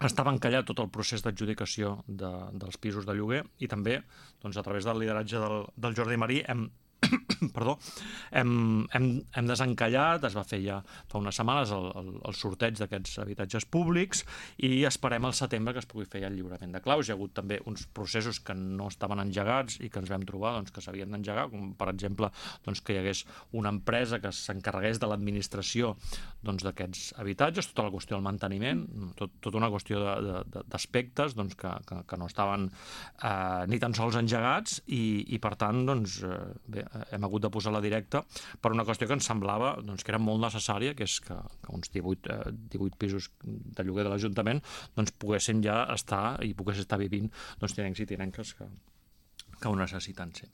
estava encallat tot el procés d'adjudicació dels pisos de lloguer i també, doncs, a través del lideratge del Jordi Marí perdó, hem desencallat, es va fer ja fa unes setmanes el sorteig d'aquests habitatges públics i esperem al setembre que es pugui fer ja el lliurament de claus. Hi ha hagut també uns processos que no estaven engegats i que ens vam trobar que s'havien d'engegar, com per exemple que hi hagués una empresa que s'encarregués de l'administració d'aquests habitatges, tota la qüestió del manteniment, tota una qüestió d'aspectes que no estaven ni tan sols engegats i per tant, bé, hem hagut de posar-la directa per una qüestió que ens semblava que era molt necessària, que és que uns 18 pisos de lloguer de l'Ajuntament poguessin ja estar i poguessin estar vivint tinencs i tinenques que ho necessiten ser.